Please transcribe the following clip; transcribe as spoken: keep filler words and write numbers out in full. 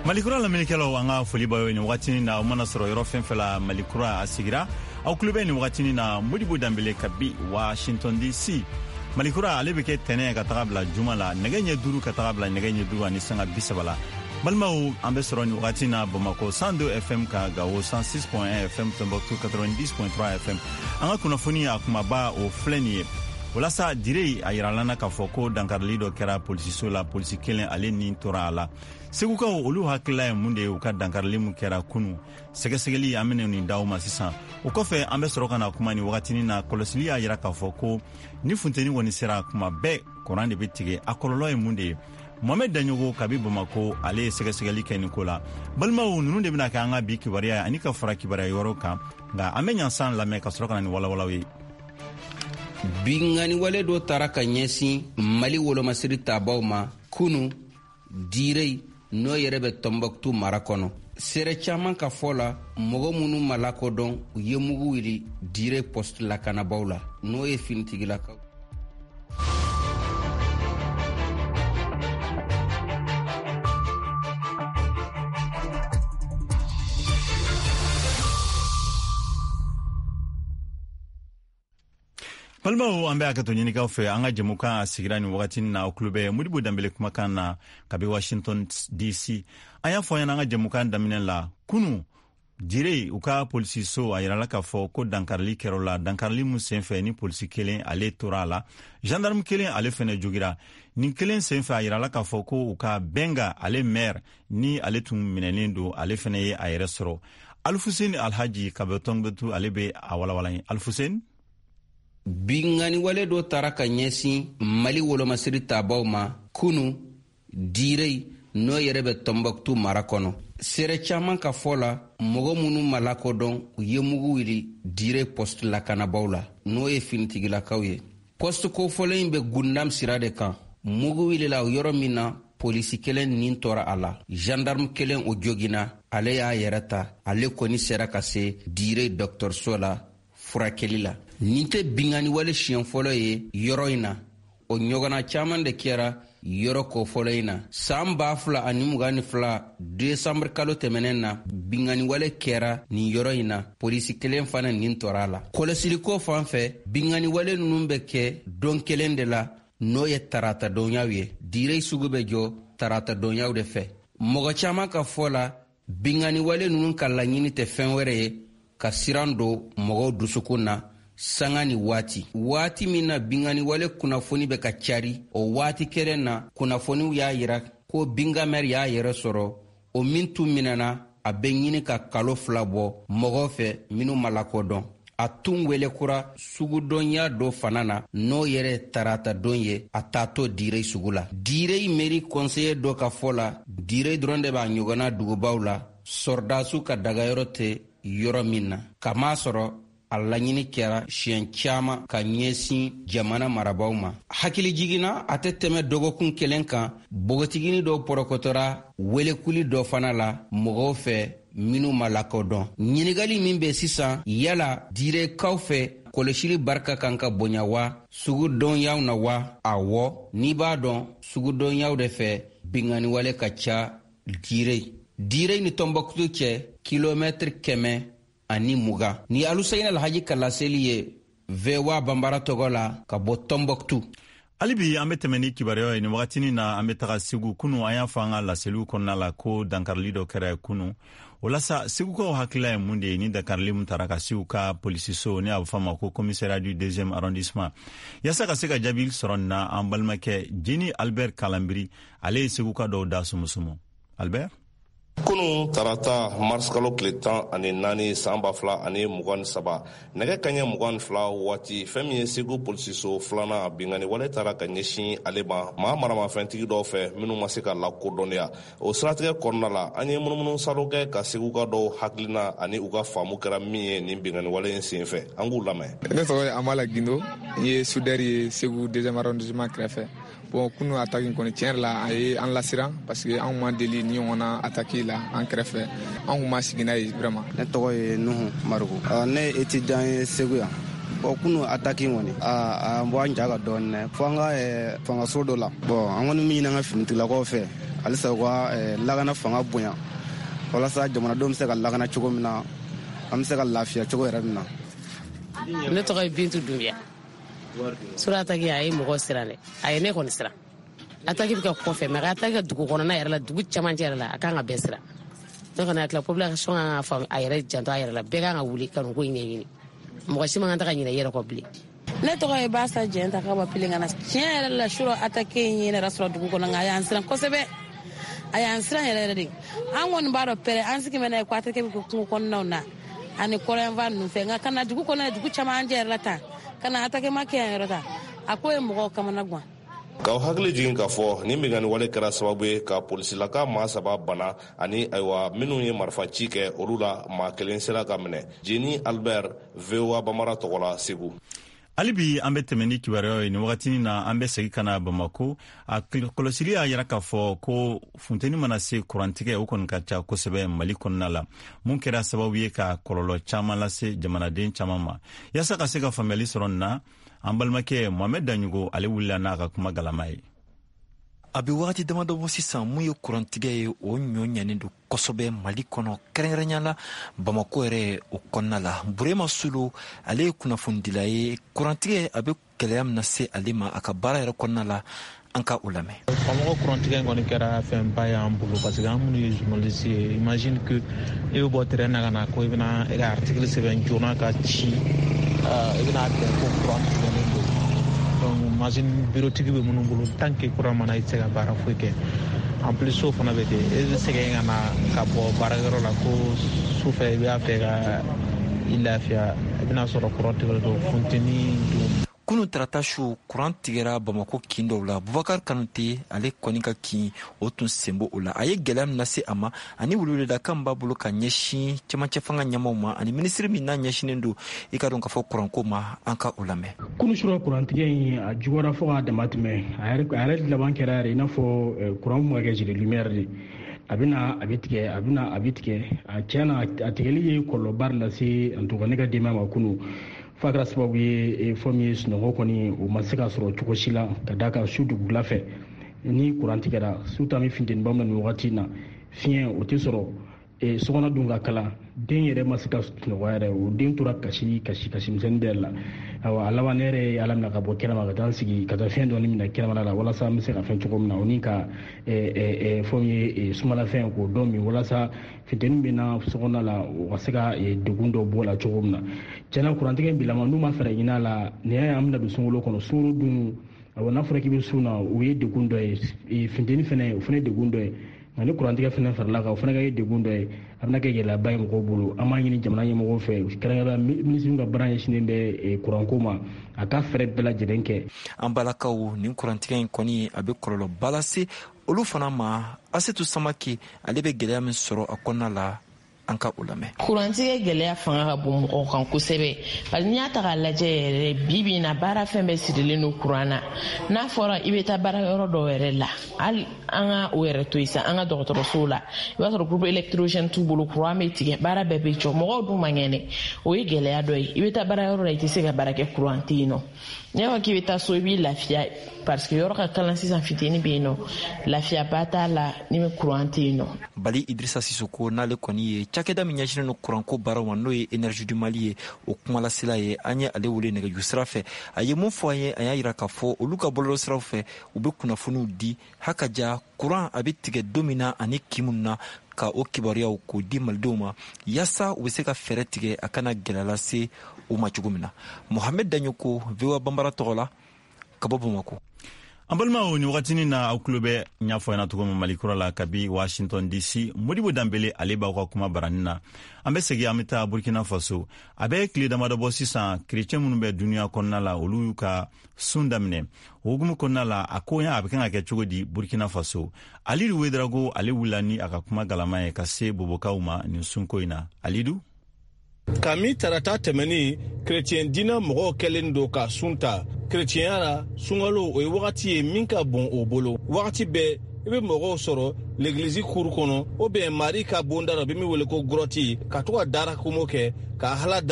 Malikura lamɛnnikɛlaw, an ka foli b'aw ye nin wagatinin na. Aw mana sɔrɔ yɔrɔ fɛn fɛn la, Malikura a sigira aw tulo bɛ nin wagatinin na. Modibo Danbele kabi Washington D C. Malikura ale bɛ kɛ tɛnɛ ka taga bila juma la, nɛgɛ ɲɛ duuru ka taga bila nɛgɛ ɲɛ duuru ani sanga bi saba la. Balimaw, an bɛ sɔrɔ nin wagati na Bamakɔ cent deux F M ka, Gawo cent six point un F M, Tombouctou quatre-vingt-dix point trois F M. An ka kunnafoni a kumaba, o filɛ nin ye. Walasa Dire, a yiralana k'a fɔ ko dankarili dɔ kɛra polisiso la, polisi kelen ale ni tora a la. Segukaw, olu hakilila ye mun de ye u ka dankarili min kɛra kunu? Sɛgɛsɛgɛli, an bena nin d'aw ma sisan. O kɔfɛ, an bɛ sɔrɔ ka na kuma nin wagatinin na. Kɔlɔsili y'a yira k'a fɔ ko ni funteni kɔni sera, kuma bɛɛ kuran de bɛ tigɛ. A kɔlɔlɔ ye mun de ye? Mohamɛd Daɲogo kabi Bamako, ale ye sɛgɛsɛgɛli kɛ nin ko la. Balimaw, nunu de bɛna kɛ an ka bi kibaruya ye ani ka fara kibaruya yɔrɔ kan. Nka an bɛ ɲansan lamɛn ka sɔrɔ ka na ni walawalaw ye. Binganiwale dɔ tara ka ɲɛsin Mali wolomasiri tabaw ma kunu Direi, n'o yɛrɛ bɛ Tɔnbɔkutu mara kɔnɔ. Seere caman ka fɔ la, mɔgɔ minnu ma lakodɔn, u ye mugu wuli Dire poste lakanabaw la, n'o ye finitigilakaw. Balimaw, an bɛ hakɛto ɲinikaw fɛ. An ka jɛmukan a sigira nin wagatinin na. Aw tulo bɛ Modibo Danbele kumakan na kabi Washington D C. An y'a fɔ ɲɛna an ka jɛmukan daminɛ la, kunu Dire, u ka polisiso, a yirala k'a fɔ ko dankarili kɛr'o la. Dankarili mun senfɛ ni polisi kelen ale tora a la, gendarme kelen ale fɛnɛ jogira. Nin kelen senfɛ, a yirala k'a fɔ ko u ka Bɛnga ale maire ni ale tun minɛlen don, ale fɛnɛ ye a yɛrɛ sɔrɔ. Alfuseni Alhaji ka bɔ Tɔnbɔkutu, ale bɛ a walawala ye. Alfuseni. Binganiwale dɔ tara ka ɲɛsin Mali wolomasiri tabaw ma kunu Direi, n'o yɛrɛ bɛ Tɔnbɔkutu mara kɔnɔ. Seere caman ka fɔ la, mɔgɔ minnu ma lakodɔn, u ye mugu wuli Dire poste lakanabaw la, n'o ye finitigilakaw ye. Poste kofɔlen in bɛ Gundam sira de kan. Mugu wulila yɔrɔ min na, polisi kelen nin tora a la, gendarme kelen o jogina, ale y'a yɛrɛ ta. Ale kɔni sera ka se Dire dɔgɔtɔrɔso la furakɛli la. Nin tɛ binganiwale siɲɛ fɔlɔ ye yɔrɔ in na. O ɲɔgɔnna caman de kɛra yɔrɔ kofɔlɔ in na. San ba fila ani mugan ni fila desanburu kalo tɛmɛnen na, binganiwale kɛra nin yɔrɔ in na, polisi kelen fana nin tora a la. Kɔlɔsiliko fan fɛ, binganiwale ninnu bɛ kɛ don kelen de la, n'o ye taratadonyaw ye. Dire sugu bɛ jɔ taratadonyaw de fɛ. Mɔgɔ caman ka fɔ la, binganiwale ninnu ka laɲini tɛ fɛn wɛrɛ ye ka siran don mɔgɔw dusukun na sanga ni waati. Waati min na binganiwale kunnafoni bɛ ka cari, o waati kelen na kunnafoniw y'a yira ko Bingamɛri y'a yɛrɛ sɔrɔ, o min tun minɛna a bɛ ɲini ka kalo fila bɔ mɔgɔw fɛ minnu ma lakodɔn. A tun wele kura sugudɔnya dɔ fana na, n'o yɛrɛ taratadon ye, a taatɔ Dire sugu la. Dire mairie conseiller dɔ ka fɔ la, Dire dɔrɔn de b'a ɲɔgɔnna dugubaw la, sɔrɔdasiw ka dagayɔrɔ tɛ yɔrɔ min na, k'a sɔrɔ a laɲini kɛra siɲɛ caman ka ɲɛsin jamana marabaw ma. Hakili jiginna, a tɛ tɛmɛ dɔgɔkun kelen kan, npogotigini dɔw pɔrɔkɔtɔra welekuli dɔ fana la mɔgɔw fɛ minnu ma lakodɔn. Ɲininkali min bɛ sisan, yala Direkaw fɛ kɔlɔsili barika kan ka bonya wa sugudɔnyaw na wa? Awɔ, n'i b'a dɔn sugudɔnyaw de fɛ binganiwale ka ca Dire. Dire ni Tɔnbɔkutu cɛ kilomɛtiri kɛmɛ ani mugan. Ni Aluseyini Alhaji ka laseli ye V O A Banbara tɔgɔ la ka bɔ Tɔnbɔkutu. Hali bi an bɛ tɛmɛ ni kibaruyaw ye nin wagatinin na. An bɛ taga Segu. Kunu, an y'a fɔ an ka laseliw kɔnɔna la ko dankarili dɔ kɛra kunu. O la sa, segukaw hakilila ye mun de ye ni dankarili mun tara ka Segu ka polisiso, ni a bɛ fɔ a ma ko commissariat du deuxième arrondissement? Yaasa ka se ka jaabi sɔrɔ nin na, an balimakɛ Jeni Albert Kalanbiri, ale ye seguka dɔw da sumusumu. Albert. Kunu tarata, marisikalo tile tan ani naani, san ba fila ani mugan ni saba, nɛgɛ kaɲɛ mugan ni fila waati, fɛn min ye Segu polisiso filanan, bingani wale taara ka ɲɛsin ale ma maa maramafɛntigi dɔw fɛ minnu ma se ka lakodɔnniya. O siratigɛ kɔnɔna la, an ye munumunu salo kɛ ka seguka dɔw hakilina ani u ka faamu kɛra min ye nin bingani wale in sen fɛ. An k'u lamɛn. Ne tɔgɔ ye Amala Gindo, n ye soudeur ye Segu deuxième arrondissement kɛrɛfɛ. Bon, kunu attaque kɔni, tiɲɛ yɛrɛ la, a ye an lasiran parce que anw ma deli ni ɲɔgɔnna attaque la an kɛrɛfɛ. An kun ma sigi n'a ye vraiment. Ne tɔgɔ ye Nuhu Mariku, ne ye étudiant ye Segu yan. Bon, kunu attaque kɔni, a bɔ an ja ka dɔɔni dɛ, fo an ka fangaso dɔ la. Bon, an kɔni min ɲini an ka finitigilakaw fɛ, Halisa u ka lakana fanga bonya walasa jamanadenw bɛ se ka lakana cogo min na, an bɛ se ka lafiya cogo yɛrɛ min na. Ne tɔgɔ ye Bintu Dunbiya. Sura attaque a ye mɔgɔ siran dɛ, a ye ne kɔni siran. Attaque bɛ kɛ kɔfɛ, mais ka attaque kɛ dugu kɔnɔna yɛrɛ la, dugu camancɛ yɛrɛ la, a kan ka bɛɛ siran. Ne kɔni hakili la, population kan ka faamu, a yɛrɛ janto a yɛrɛ la, bɛɛ kan ka wuli ka nin ko in ɲɛɲini. Mɔgɔ si man kan tɛ ka ɲinɛ i yɛrɛ kɔ bilen. Ne tɔgɔ ye Basa Jɛnta ka bɔ Pelengana. Tiɲɛ yɛrɛ la, sura attaque in ye ne yɛrɛ sɔrɔ dugu kɔnɔ, nka a y'an siran kosɛbɛ. A y'an siran yɛrɛ yɛrɛ de. An kɔni b'a dɔn pɛrɛ an sigi bɛ n'a ye ko attaque bɛ kɛ kungo kɔnɔnaw na ani kɔrɔnfan ninnu fɛ, nka ka na dugu kɔnɔ, dugu camancɛ yɛrɛ la tan, ka na attaque ma kɛ yan yɔrɔ ta, a ko ye mɔgɔw kamana gan. K'aw hakili jigin k'a fɔ nin binkanni wale kɛra sababu ye ka polisilaka maa saba bana, ani ayiwa minnu ye marifa ci kɛ, olu la maa kelen sera ka minɛ. Jeni Albert, V O A Bamara tɔgɔ la, Segu. Hali bi an bɛ tɛmɛ ni kibaruyaw ye. Nin wagatinin na, an bɛ segin ka na Bamako. A kɔlɔsili y'a yira k'a fɔ ko funteni mana se, kurantigɛ o kɔni ka ca kosɛbɛ Mali kɔnɔna la, mun kɛra sababu ye ka kɔlɔlɔ caman lase jamanaden caman ma. Yaasa ka se ka faamuyali sɔrɔ nin na, an balimakɛ Mohamɛd Daɲogo, ale wulila n'a ka kuma galama ye. A bɛ wagati damadɔ bɔ sisan, mun ye kurantigɛ ye, o ɲɔ ɲanen don kosɛbɛ Mali kɔnɔ, kɛrɛnkɛrɛnya la Bamako yɛrɛ o kɔnɔna la. Burema Solo, ale ye kunnafonidila ye. Kurantigɛ a bɛ gɛlɛya min lase ale ma a ka baara yɛrɛ kɔnɔna la, an ka o lamɛn. Bamakɔ kurantigɛ in kɔni kɛra fɛnba y'an bolo, parce que an minnu ye journaliste ye, imagine que e bɛ bɔ terrain na ka na ko i bɛna e ka article sɛbɛn joona ka ci, i bɛna bɛn ko kuran tigɛlen don. Donc imagine bureau tigi bɛ minnu bolo, tant que kuran mana, i tɛ se ka baara foyi kɛ. En plus, so fana bɛ ten, e bɛ sɛgɛn ka na ka bɔ baarakɛyɔrɔ la ko sufɛ i b'a fɛ ka i lafiya, i bɛna sɔrɔ kuran tigɛlen don, funteni dun. Kunu tarata su, kuran tigɛra Bamako kin dɔw la. Bubakar Kanute, ale kɔni ka kin o tun sen b'o la. A ye gɛlɛya min lase a ma ani weleweledakan b'a bolo ka ɲɛsin cɛmancɛ fanga ɲɛmaw ma ani minisiri min n'a ɲɛsinen don i ka dɔn k'a fɔ kuranko ma, an ka o lamɛn. Kunu sura, kurantigɛ in a juguyara fo k'a dama tɛmɛ. A yɛrɛ laban kɛra yɛrɛ i n'a fɔ kuran kun ka kɛ gilet lumière de. A bɛna, a bɛ tigɛ, a bɛna, a bɛ tigɛ. A tiɲɛ na, a tigɛli ye kɔlɔlɔba de lase en tout cas ne ka denbaya ma kunu, f'a kɛra sababu ye fɛn min ye, sunɔgɔ kɔni o ma se ka sɔrɔ cogo si la, ka d'a kan su dugula fɛ ni kuran tigɛra, surtout an bɛ funteniba min na nin wagati in na, fiɲɛ o tɛ sɔrɔ, sokɔnɔ dun ka kalan, den yɛrɛ ma se ka sunɔgɔ yɛrɛ, o den tora kasi kasi kasi misɛnnin bɛɛ la. Ayiwa, a laban ne yɛrɛ ye Ala minɛ ka bɔ kɛnɛma ka taa n sigi ka taa fiɲɛ dɔɔni minɛ kɛnɛmana la, walasa n bɛ se ka fɛn cogo min na, o ni ka fɛn ye sumalafɛn k'o dɔn min, walasa funteni bɛ na sokɔnɔ la, o ka se ka degun dɔ bɔ la cogo min na. Tiɲɛna, kurantigɛ in bilama, n'u ma fɛɛrɛ ɲini a la, nin y'a ye an bɛna don sunkalo kɔnɔ. Sunkalo dun, ayiwa, n'a fɔra k'i bɛ sun na, o ye degun dɔ ye, funteni fɛnɛ, o fɛnɛ ye degun dɔ ye, nka ni kurantigɛ fɛnɛ farala kan, o fana ka kɛ degun dɔ ye, a bɛna kɛ gɛlɛyaba ye mɔgɔw bolo. An b'a ɲini jamana ɲɛmɔgɔw fɛ, kɛrɛnkɛrɛnnenya minisiri ka baara ɲɛsinnen bɛ kuranko ma, a ka fɛɛrɛ bɛɛ lajɛlen kɛ. An balakaw, nin kurantigɛ in kɔni a bɛ kɔlɔlɔba lase olu fana ma. Asetu Samake, ale bɛ gɛlɛya min sɔrɔ a kɔnɔna la, an ka o lamɛn. Kurantigɛ gɛlɛya fanga ka bon mɔgɔw kan kosɛbɛ, parce n'i y'a ta k'a lajɛ yɛrɛ, bi bi in na, baara fɛn bɛɛ sirilen don kuran na. N'a fɔra i bɛ taa baarayɔrɔ dɔw yɛrɛ la, hali an ka o yɛrɛ to yen sa, an ka dɔgɔtɔrɔsow la, i b'a sɔrɔ groupe électrogène t'u bolo, kuran bɛ tigɛ, baara bɛɛ bɛ jɔ, mɔgɔw dun man kɛnɛ. O ye gɛlɛya dɔ ye. I bɛ taa baarayɔrɔ la, i tɛ se ka baara kɛ, kuran tɛ yen nɔ. N'i y'a fɔ k'i bɛ taa so, i b'i lafiya, parce que yɔrɔ ka kalan sisan, fitini bɛ yen nɔ, lafiyaba t'a la ni kuran tɛ yen nɔ. Bali Idrissa Sissoko, n'ale kɔni ye cakɛda min ɲɛsinnen don kuranko baaraw ma, n'o ye Énergie du Mali ye, o kumalasela ye, an ye ale wele nɛgɛjuru sira fɛ. A ye mun fɔ an ye? A y'a yira k'a fɔ olu ka bɔlɔlɔsiraw fɛ, u bɛ kunnafoniw di hakaja kuran a bɛ tigɛ don min na ani kin minnu na, ka o kibaruyaw k'o di malidenw ma, yaasa u bɛ se ka fɛɛrɛ tigɛ a kana gɛlɛya lase u ma cogo min na. Mohamed Daɲoko, V O A Banbara tɔgɔ la, ka bɔ Bamako. An balimaw, ni wagatinin na, aw tulo bɛ ɲɛfɔ ɲɛna cogo min Mali kura la kabi Washington D C, Modibo Danbele, ale b'aw ka kuma baranin na. An bɛ segin, an bɛ taa Burkina Faso. A bɛ tile damadɔ bɔ sisan, kerecɛn minnu bɛ duniɲa kɔnɔna la, olu y'u ka sun daminɛ. O hukumu kɔnɔna la, a ko a bɛ kan ka kɛ cogo di Burkina Faso? Alidu Wedrago, ale wulila ni a ka kuma galama ye ka se bobokaw ma nin sunko in na. Alidu. Kami tarata tɛmɛnin, kerecɛn diinɛ mɔgɔw kɛlen don ka sun ta. Kerecɛnya la, sunkalo o ye wagati ye min ka bon o bolo. Wagati bɛɛ i bɛ mɔgɔw sɔrɔ legilizi kuru kɔnɔ, o bɛn Mari ka bonda la, bɛ min wele ko grotte, ka to ka darakomo kɛ ka hala.